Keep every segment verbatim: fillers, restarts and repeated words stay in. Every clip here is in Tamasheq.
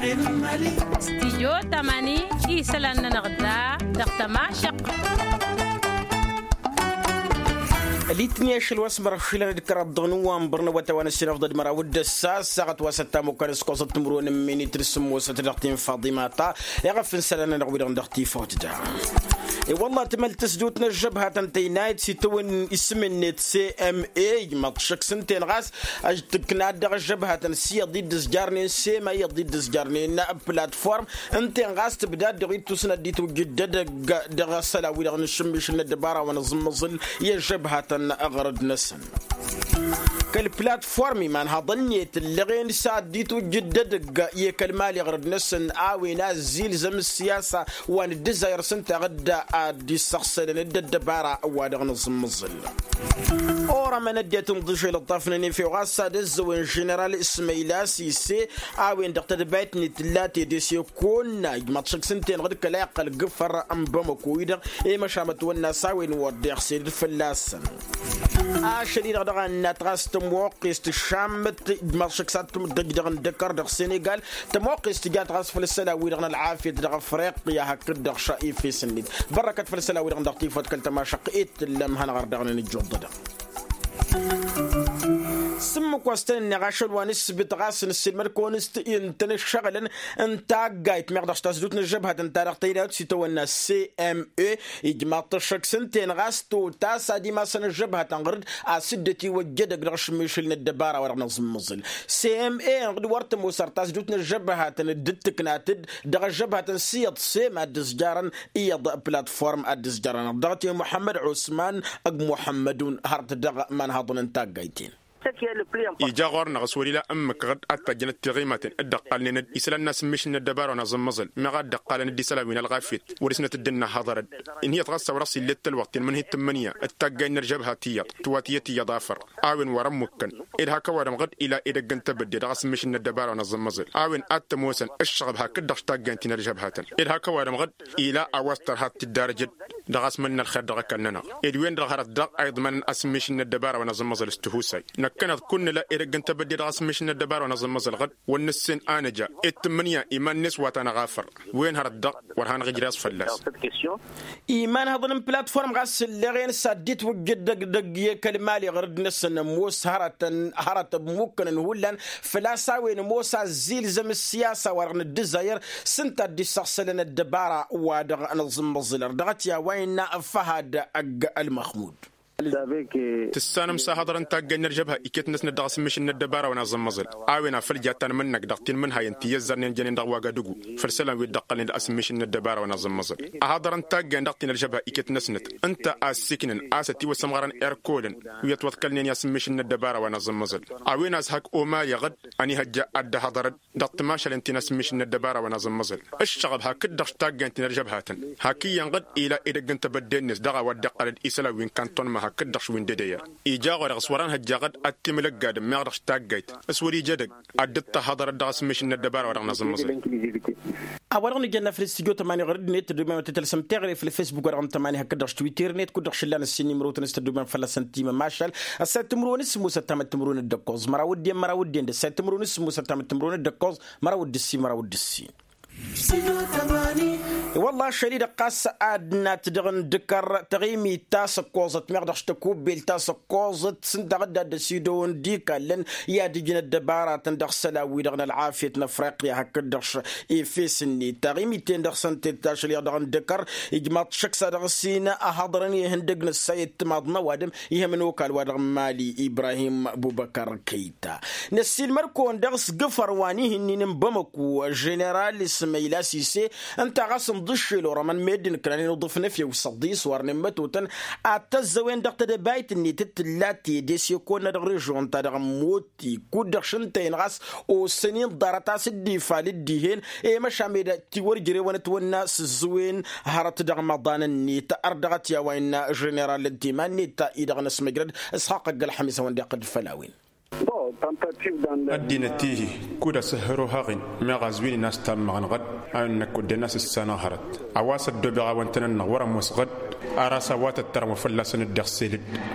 Stijyo tamani isălan-nănăɣ da dăɣ-tămašăq. Ălitni ašăl wa s-mărăɣ šilăn d-kăraḍ dăɣ-nǝwwănbăr n-awătay wa n-ăssinăfḍăd măraw d-ăssa ăssaɣăt wa s-ăttamukkan s-kosăt timǝrwen n-minit d-sǝmmosăt dăɣ-tinfaḍimata. Iɣăf n-isălan-nănăɣ wi-dăɣ n-dăɣ-tifawt da. I-wălla tǝmăl tǝsdut n-ăžžăbhatăn tăynayăt s-itawăn isǝm-net s-e m e ijmaḍ-t šăkk s-ǝnta-en ɣas ăžtǝkna-dd dăɣ-ăžžăbhatăn s-iyyăḍ i-dd-ǝzjarnen s-e m a iyyăḍ i-dd-ǝzjarnen platform. Ǝnta-en ɣas tǝbdad dăɣ-ittus n-ad-dd-itwǝjjǝd d-edăgg dăɣ-isălan-wi-dăɣ n-ašǝmmišǝl n-ăddăbara wa n-aẓǝmmăẓǝl i-ăžžăbhatăn aɣrǝd-năsăn. Kăl-platform imanhaḍăn-net ǝllăɣen s-ad-dd-itwǝjjǝd d-edăgg i-kăl-mali aɣrǝd-năsăn a-wen azzilzăm ǝssiyasa wa n-ǝddǝzayăr s-ǝnta ɣǝdda ad-dd-issăɣsălăn d-ăddăbara wa dăɣ-nǝẓǝmmǝẓǝl. Orămăn ăddinăt n-iḍǝšel ǝṭṭafnen efew ɣas ad-ăzzăwăn ženeral ismăyla sise a-wen-dăɣ tadăbayt-net tǝlla tedese konna ijmaḍ šăkk s-ǝnta-enăɣ d-kăla iqqăl gǝfăr n-bamăko-i-dăɣ i-măšan mătwănna s-a-wen wăr deɣ sed fălla-săn. Ašăl-i-dăɣ dăɣ-annat ɣas tămoqqest tǝššammăt ijmaḍ šăkk s-ad-tǝmdăj dăɣ-indăkăr dăɣ-senegal. Tămoqqest tǝjat ɣas făll-isălan-wi-dăɣ n-ălɣafyăt dăɣ-afriqya hakd-dăɣ šăr efes-net. Bărrăkăt făll-isălan-wi-dăɣ n-dăɣ-tifawt kăl-tămašăqq i-t tǝllăm hanăɣ-ărdăɣnen ǝjjuḍ-dăɣ. S-ǝmmǝk wa s-tăn-ǝnneɣ ašăl wa n-ǝssǝbǝt ɣas nǝssilmăd-kăwăn s-t-intăn ǝššăɣǝlăn n-taggayt meɣ dăɣ-s tasdut n-ăžžăbhătăn-ta-dăɣ tăynayăt s-itawănna s-e m e. Ijmaḍ-t ăššăk s-ǝnta-en ɣas totas ad-imasăn ăžžăbhătăn ɣǝr-dd a-s dd-ătiwăjj edăgg dăɣ-ašǝmmišǝl n-ăddăbara wa dăɣ-năẓǝmmăẓǝl. S e m e-enăɣ d-wăr tămoos ar tasdut n-ăžžăbhătăn dd-tǝknat-dd dăɣ-ăžžăbhătăn s-iyyăḍ s e m ad-dd-ǝzjarăn iyyăḍ platform ad-dd-ǝzjarăn dăɣ-t i-muḥămmăd osman. Ăgg muḥămmădun hărăt dăɣ-imanhaḍăn n-taggayt-en. Ija ɣur-năɣ s-wăr-ila ǝmmǝk ɣǝd ad-tajjănăt tiɣimaten dd-ăqqalnen d-isălan n-asǝmmišǝl n-ăddăbara wa n-aẓǝmmăẓǝl meɣ a dd-ăqqalăn d-isălan wi n-ălɣafyăt wăr-isnăt dd-ǝnnă haḍăr-dd. Ǝnhǝyăt ɣas a-wa dăɣ-s ill'-e d-tălwăqt i-ănmănhǝy tǝmmǝnǝya d-taggay n-ălžăbha tiyyăḍ tǝwatǝyăt iyyăḍ afăr. A-wen wăr-ămmukkăn ed hak ăwadǝm ɣǝd ila edăgg n-tebădde dăɣ-asǝmmišǝl n-ăddăbara wa n-aẓǝmmăẓǝl. A-wen ad-t-ămoosăn ǝššăɣăb hakd-dăɣ s-taggay n-ti n-ălžăbhatăn ed hak ăwadǝm ɣǝd ila a-wa s-tărha ad-t-dd-arǝjăd dăɣ-asmăl n-ălxer dăɣ-ăkall-nănăɣ. Ed wen-dăɣ hărăt daɣ a iḍmănăn asǝmmišǝl n-ăddăbara wa n-aẓǝmmăẓǝl s-tihusay. Năkkăneḍ kunnǝla edăgg n-tebădde dăɣ-asǝmmišǝl n-ăddăbara wa n-aẓǝmmăẓǝl ɣǝd wăr nǝssen a nǝja ed tǝmmǝnǝya iman-net wa ta n-aɣafăr. Wen hărăt daɣ wăr hanăɣ-ijrăy a-s fălla-s. Imanhăḍăn n-platform ɣas ǝlleɣ-en s-ad-dd-itwǝjjǝd dăgg-dăgg i-kăl-mali ɣăr-dd-năsăn ămoos hărătăn hărăt ămmukkănăn hullan. Făl-a-s a-wen ămoos azzilzăm ǝssiyasa wa dăɣ-nǝddǝzayăr s-ǝnta a dd-issăɣsălăn ăddăbara wa dăɣ-nǝẓǝmmăẓǝlăr dăɣ-t i-a-wa innă făhad ăgg ălmăxmud. Tǝssanăm s-ahăḍrăn taggay n-ălžăbha iket-năsnăt dăɣ-asǝmmišǝl n-ăddăbara wa n-aẓǝmmăẓǝl. A-wen a făl ja tanmǝnnăk dăɣ-tinmǝnhayăn ti ăzzărnen jănen dăɣ-wagadugu făll-isălan wi dd-ăqqălnen d-asǝmmišǝl n-ăddăbara wa n-aẓǝmmăẓǝl. Ahăḍrăn taggay dăɣ-ti n-ălžăbha iket-năsnăt ǝnta a ǝssiknăn a-s ătiwăsămɣărăn erkolăn wi ătwăḍkălnen i-asǝmmišǝl n-ăddăbara wa n-aẓǝmmăẓǝl. A-wen a-s hak omali ɣǝd ănihăjja ad-dd-ăhăḍărăd dăɣ-timašalen ti n-asǝmmišǝl n-ăddăbara wa n-aẓǝmmăẓǝl. Ǝššăɣăb hakd-dăɣ s-taggay n-ti n-ălžăbhatăn hak iyyăn ɣǝd ila edăgg n-tebădde-net dăɣ-a-wa dd-iqqălăd isălan wi n-kantănma hakd-dăɣ šwin d-edăyăr. Ija ɣur-dăɣ s-wăr-ănhăjja ɣǝd ad-t-imlăggadăm meɣ dăɣ-s taggayt s-wăr-ija edăgg ad-dd-tăhhăḍărăd dăɣ-asǝmmišǝl n-ăddăbara wa dăɣ-năẓǝmmăẓǝl. A-wa-dăɣ nǝjănna făll-studyo tămani ɣur-dd-net tăddomem ad-t-tălsăm teɣăre făll-facebook wa dăɣ-nǝtămani hakd-dăɣ s-twitter-net kud-dăɣ šǝllan ǝssin imrotăn s-tăddomem fălla-săn timămašal. Ăssayăt timǝrwen s-sǝmmos ăttamăt timǝrwen d-ǝkkoẓ măraw d-en măraw d-en d-ăssayăt timǝrwen s-sǝmmos ăttamăt timǝrwen d-ǝkkoẓ măraw d-ǝssin măraw d-ǝssin. Wălla ašăl-i-dăɣ ɣas ad-nat dăɣ-indǝkăr taɣimit ta s-ǝkkoẓăt meɣ dăɣ-s tăkubbelt ta s-ǝkkoẓăt s-ǝnta ɣǝdda dd-ăsidăwăn d-ikallăn i-ad-ǝjǝn ăddăbaratăn dăɣ-isălan-wi-dăɣ n-ălɣafyăt n-afriqya hakd-dăɣ efes-net taɣimit-ten-dăɣ s-ăntet ašăl-i-dăɣ dăɣ-indǝkăr. Ijmaḍ-t šăkk s-ad-dăɣ-s-in ăhăḍărăn ihăndăg n-ăssayăt timaḍ n-ăwadǝm ihăm n-okal wa dăɣ-mali ibrahim bubăkăr kăyy ta. Năssiilmăd-kăwăn dăɣ-s gǝfăr wa n-ihǝnnin n-bamăku ženeral ismăyla sise ǝnta ɣas ǝnḍǝššel orămăn meddǝn ǝknanen uḍǝf n-efew s-ăḍḍis warnen mătotăn ad-tăzzăwen dăɣ-tedăbayt-net d-tǝlla tedese kăwănna dăɣ-režion-ta-dăɣ n-moti kud-dăɣ šǝntăyăn ɣas osăn-in ḍarăt a-s dd-ifal dd-ihen i-măšan med tiwăr jărewăn ătwănna s-ǝzzǝwen hărăt dăɣ-imăḍan-net ărdăɣăt i-a-wa innă ženeral n-timan-net-ta-i-dăɣ n-ăsmăjrăd. Isxaqq ăgg-ălxămis a-wen-dd-iqqăl d-făll-a-wen. Ăddinăt-ihi kud-asǝhhăr ohăɣ-in meɣ azwin-in a-s tammăɣ n-ɣădd a wen-năkk wădden a-s ǝssanăɣ hărăt. A-wa s-ăddoobeɣ a-wăn-tăn-ănnăɣ wăr-ămoos ɣădd. Ar a-s a-wa tăttărăm wa fălla-săn dd-iɣsel-dd.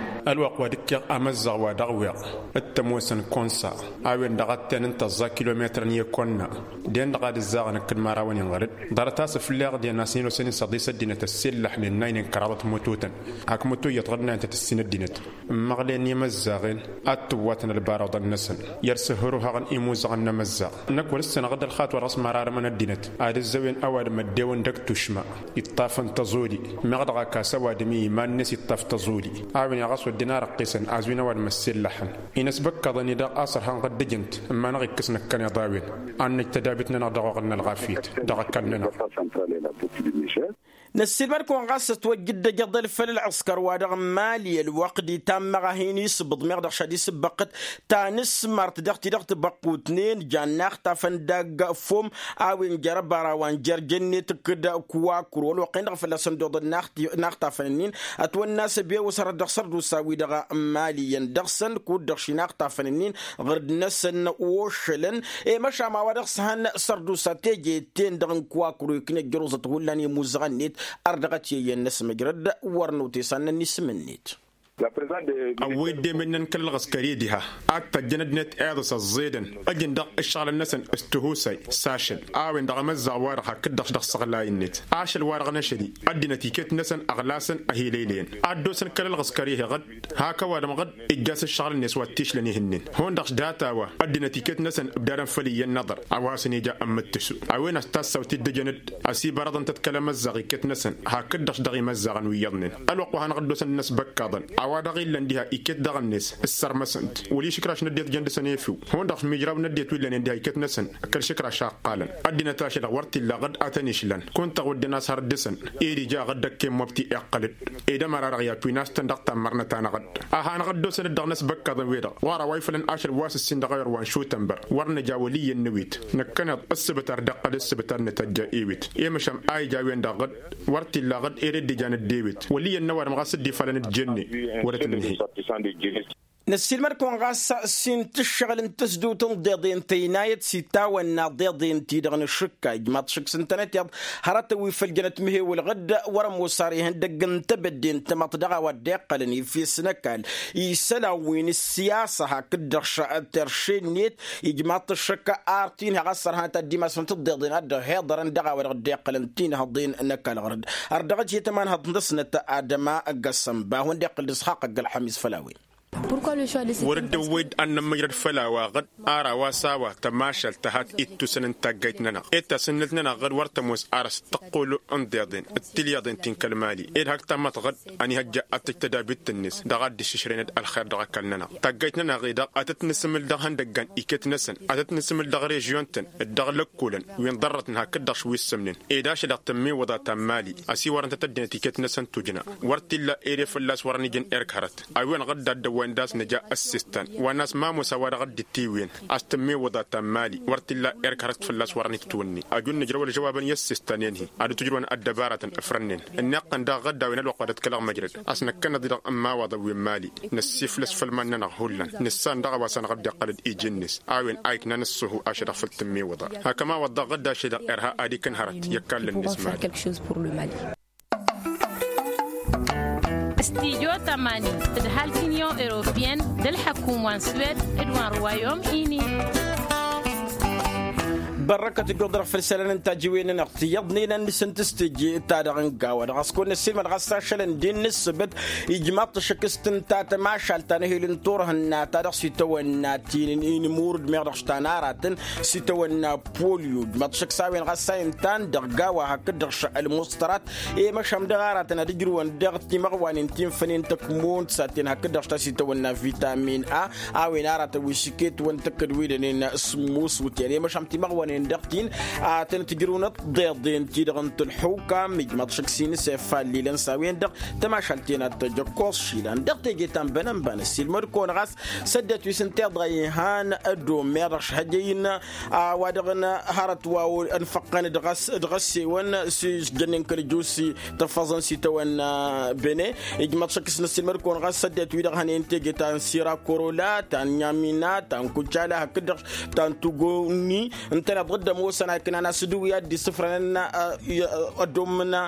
Ălwăqq wa d-ǝkkeɣ amăzzăɣ wa dăɣ-weɣ d-tămoosăn konsa a-wen-dăɣ a t-ten n-tăẓẓa kilometărăn i-konna. Den-dăɣ ad-ǝzzaɣăn ǝkkǝd mărawăn-in ɣăr-dd. Ḍarăt-as ǝfleɣ den a-s hin-osăn-in săḍis ăddinăt ăssillăḥnen n-aynen kăraḍăt mututăn hak mutuyyăt ɣǝd n-ayǝn tăt-ǝssin ăddinăt. Ǝmmăɣlen i-imăzzaɣen ad-tǝwwatăn ălbaraḍăn-năsăn. I-ad-sǝhhăr ohăɣăn imuzăɣăn n-amăzzaɣ. Năkk wăr-ǝssanăɣ-dd ălxaṭ wa dăɣ-s mărarămăn ăddinăt ad-ǝzzăwen ăwadǝm ăddewăn dăgg-tušma iṭṭafăn tăẓoli. Meɣ dăɣ-ak a-s ăwadǝm i-iman-net iṭṭaf tăẓoli. A-wen-i ɣas wădden a răqqisăn azwin ăwadǝm ăssillăḥăn. Inăsbăkkaḍăn-i-dăɣ a-s ărhan ɣăr dd-ǝjǝnt ǝmmanăɣ ikkǝs năkkăneḍ a-wen. Ad-năj tădabit-nănăɣ dăɣ-oɣǝl n-ălɣafyăt dăɣ-ăkall-nănăɣ. Năssiilmăd-kăwăn ɣas ătwăjja dd-ăjăḍăl făll-ălɣǝskăr-wa-dăɣ n-imali ălwăqq d-itammăɣ a hin-isǝbbǝḍ meɣ dăɣ-šădis ǝbbăqqǝt tanǝsmart dăɣ-ti-dăɣ tibăqqutnen jan n-axtafăn dagg-fom. A-wen jer-ăbara wa n-jer-jănnet kǝd-kǝwakǝr wăl-wăqq-en-dăɣ fălla-săn d-oḍăl n-axtafăn-nin. Ătwănna a-s ăbewăs hărăt dăɣ-sărdusa-wi-dăɣ n-imali iyyăn dăɣ-săn kud-dăɣ šin axtafăn-nin ɣǝrd-năsăn ošălăn. I-măšan ma-wa-dăɣ s-han sărdusa teje-ten-dăɣ n-kǝwakǝr wa iknăj jăruẓăt hullan i-imuzăɣăn-net. Ar dăɣ-t i-iyyăn n-asmăjrăd wăr nutesannăn n-isǝm-net. Ăwwăy dd-emennăn kăl-ălɣǝskăr-i diha ad-tăjjăn ăddinăt iḍǝs ăẓẓedăn ăjǝn dăɣ-ǝššăɣǝlăn-năsăn s-tihusay s-ašăl. A-wen-dăɣ amăzzaɣ-wa-dăɣ hakd-dăɣ-š dăɣ-isăɣlay-net ašăl-wa-dăɣ n-ašăl-i ăddinăt iket-năsăn ăɣlasăn ăhilăylăyăn ad-dd-osăn kăl-ălɣǝskăr-i-hi ɣǝd. Hak ăwadǝm ɣǝd ijjas ǝššăɣǝl-net wa t-išlăn ihǝnnen hundăɣ-š data-wa ăddinăt iket-năsăn ǝbdadăn făll-iyyăn n-aḍăr. A-wa hasăn-ija ămmǝttǝsu a-wen a-s tassawt-dd-ǝjăn-dd ăsibărăḍăn-tăt kăl-amăzzaɣ iket-năsăn. Hakd-dăɣ-š dăɣ-imăzzaɣăn wi iyyăḍnen ălwăqq wa hanăɣ-dd-osăn n-asbăkkaḍăn a-wa dăɣ-illăn diha iket dăɣ-net ǝssărmăsăn-t wăl-išǝkraš n-ăddinăt jăn dăɣ-săn efew. Hundăɣ-š mijraw n-ăddinăt wi ǝllănen diha iket-năsăn kăl-išǝkraš a ǝqqalăn ăddinăt ašăl-dăɣ wăr t-illa ɣǝd ad-tăn-išlan. Kunta wădden a-s har dăr-săn ed ija ɣǝd ăkk emmobti iqqăl-dd. Ed ămăra-dăɣ i-ad-twin a-s tăn-dăɣ tammărnăt-anăɣ-dd a hanăɣ-dd-osăn-dd dăɣ-inăsbăkkaḍăn-wi-dăɣ ɣur-a-wa ifălăn ašăl wa s-ǝssin dăɣ-ayǝr wa n-šutănbăr. Wăr nǝja wăl' iyyăn n-ewit năkkăneḍ ǝssǝbǝtar d-iqqăl ǝssǝbǝtar n-tăjja ewit. I-măšan a ija a-wen-dăɣ ɣǝd wăr t-illa ɣǝd ere dd-ijan ăddeewet wăl' iyyăn n-ăwadǝm ɣas dd-ifalăn d-jenne. Wăr-ătnǝnhǝy. Năssiilmăd-kăwăn ɣas s-intǝššăɣǝl n-tǝsdǝwt n-iḍeḍen tăynayăt s-itawănna iḍeḍen-ti-dăɣ n-ašǝkka ijmaḍ šǝk s-ǝntănăteḍ. Hărătăn wi făl jănăt mihewăl ɣǝd wăr-ămoos ar ihăndăgg n-tebădde n-tamăḍt dăɣ-a-wa dd-iqqălăn ifes n-ăkall isălan wi n-ǝssiyasa hakd-dăɣ terše-net. Ijmaḍ-t ăššăk ar t-inhăɣ a-s ărhanăt ad-dd-imasnăt ǝḍḍeḍen a dd-ăhiḍărăn dăɣ-a-wa dăɣ-dd-iqqălăn tinhăḍen n-ăkall ɣur-dd. Ar dăɣ-t i-tămanhăḍt-năsnăt adăma găssănba a-wen-dd-iqqǝl d-isxaqq ăgg-ălxămis făll-a-wen. Wăr dd-ăwwăy-dd ad-nămmăjrăd făll-a-wa ɣǝd ar a-wa s-a-wa tămašalt tăhat ittusăn n-taggayt-nănăɣ ed tasǝnnǝlt-nănăɣ ɣǝd wăr tămoos ar s-tăqqul n-iḍeḍen d-tilyaḍen ti n-kăl-mali ed hak tammăt ɣǝd. Ănihăjja ad-tăj tădabit-net dăɣ-ad-dd-iššǝšrăynăd ălxer dăɣ-ăkall-nănăɣ taggayt-nănăɣ-i-dăɣ ad-tăt-nǝsǝmǝl dăɣ-ihăndăggan iket-năsăn ad-tăt-nǝsǝmǝl dăɣ-režyon-tăn d-dăɣ-lăkkolăn wi n-ḍărrătnen hakd-dăɣ š-wi ǝssǝmnen. Ed ašăl-dăɣ tămmiwǝḍa ta n-mali ăsiwărăn-tăt ăddinăt iket-năsăn tujna. Wăr t-illa ere fălla-s wăr-ănijăn erk hărăt a-wen ɣǝd d-ad-dăwwăyăn d-a-s nǝja ăssistan wa n-a-s mamosa wa dăɣ-dd-itiwǝyăn. A-s tămmiwǝḍa ta n-mali wăr t-illa erk hărăt fălla-s wăr-ănitǝtwǝnni. Ăjun nǝjrăw ălžăwabăn i-ăssistan-en-hi ad-dd-tǝjrǝwăn ăddăbarătăn ǝfrănnen. Ǝnneɣ-tăn daɣ ɣǝd a-wen ălwăqq wa dd-kălăɣ măjrăd a-s năkkăneḍ-i-dăɣ n-imawaḍăn wi n-mali. Năssiflăs făll-iman-nănăɣ hullan nǝssan dăɣ-a-wa s-anăɣ-dd-iqqăl-dd iji-net. A-wen a iknan ǝṣṣuhu ašăl-dăɣ făll-tǝmmiwǝḍa. Hakămawaḍ daɣ ɣǝd ašăl-dăɣ irha ad-ikǝn hărăt i-ăkall-net mali. Stijo tămani d-ăhalk n-inyon europeyăn d-ălḥăkum wa n-swed d-wa n-ruwayom ini. Bărrăkăt ǝjjuḍ-dăɣ făll-isălan n-tajiwen-nănăɣ tiyyăḍnen ad-nǝsǝntǝs teje-ta-dăɣ n-gawa-dăɣ a-s kăwăn-năssiilmăd ɣas ašălăn d-innǝssǝbǝt. Ijmaḍ-t ăššăk s-tǝnta tămašalt ta n-ehel n-turhǝnna ta dăɣ-s itawănna ti n-inǝmurǝd meɣ dăɣ-s ta n-aratăn s-itawănna polyo ijmaḍ-t ăššăk s-a-wen ɣas a intan dăɣ-gawa hakd-dăɣ š-ălmuṣtărat. I-măšan dăɣ-aratăn ad-ǝjrǝwăn dăɣ-timăɣwanen ti n-fănen tăkmont s-ad-ten hakd-dăɣ š-ta s-itawănna vitamin a. A-wen aratăn wi s-iket wăn tăkkăd wi dănen s-muswǝtyan i-măšan timăɣwanen. dăɣ-tin a tăn-tǝjrǝwnăt deḍen-ti-dăɣ n-tǝlḥukam ijmaḍ šăkk s-inǝs efallilăn s-a-wen-dăɣ. Tămašalt-en ad-tăj ăkkoẓ išilan dăɣ-teje ta n-bănănba n-ăssiilmăd-kăwăn ɣas s-ăddinăt wi s-ǝnta iḍa ihan ăddomeɣ dăɣ-šhăjăy-in a-wa dăɣ-nǝhărăt wa ănfăqqăn dăɣ-s dăɣ-ăssewăn s-ijjănnen kăl-ăjus tăffăẓăn s-itawănna bene. Ijmaḍ šăkk s-năssiilmăd-kăwăn ɣas s-ăddinăt wi-dăɣ hănen teje ta n-sira korola ta n-nyamina ta n-kucala hakd-dăɣ ta n-tugoni ǝntăneḍ ɣǝddăm osăn a iknan asǝdǝw i-ad-dd-isǝfrănăn ăddomǝna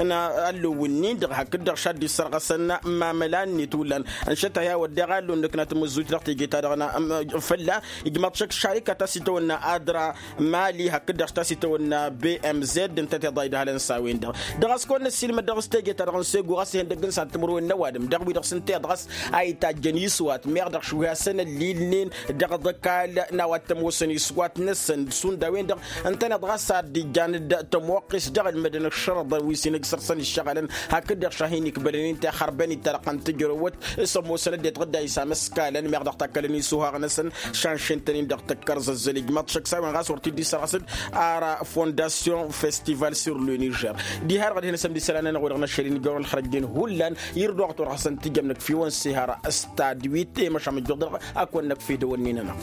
n-allǝw-nin-dăɣ hakd-dăɣ šadd-issărɣăsăn mamăla-net hullan. Ănšăt a hi-a-wădden ɣallun nǝkna tamǝzzut dăɣ-teje-ta-dăɣ n-fălla. Ijmaḍ šăkk šarikat a-s itawănna adra mali hakd-dăɣ ta s-itawănna bmz ǝnta tiḍa idhălăn s-a-wen-dăɣ. Dăɣ-a-s kăwăn năssiilmăd dăɣ-s teje-ta-dăɣ n-segu ɣas ihăndăgg n-san timǝrwen n-ăwadǝm dăɣ-wi-dăɣ s-ǝnta iḍɣăs a itajjăn iswat meɣ dăɣ-šuhasăn ăllilnen dăɣ-ăḍkal n-a-wa t-ămoosăn iswat-năsăn šund a-wen-dăɣ. Ǝntăneḍ ɣas ad-dd-ijjan d-tămoqqes dăɣ-ălmădăn ǝššărăḍăn wi s-inǝgsăr-săn iššăɣălăn hakd-dăɣ šahin ikbălăn-in tixărbăn ittarăqqăn tǝjrăwăt s-ămoosăn ăddinăt ɣǝdda isamăskalăn meɣ dăɣ-takkălăn isuhaɣ-năsăn. Šanšen-tăn-in dăɣ-tăkkărzăzzăl ijmaḍ šăkk s-a-wen ɣas wăr t-dd-isărɣăsăd ara fondasyon festival sur le nižer. Diha-dăɣ ad-hin-asăm d-isălan-nănăɣ wa dăɣ-năšăl-in ijăr wăr ălxărăjjen hullan. Irduɣ a tawăr hasăn-tijăm năkf'-iwăn sihăra stad wi t-e-măšam ǝjjuɣ dăɣ-a kăwăn-năkf'-ed ăwănnin-nănăɣ.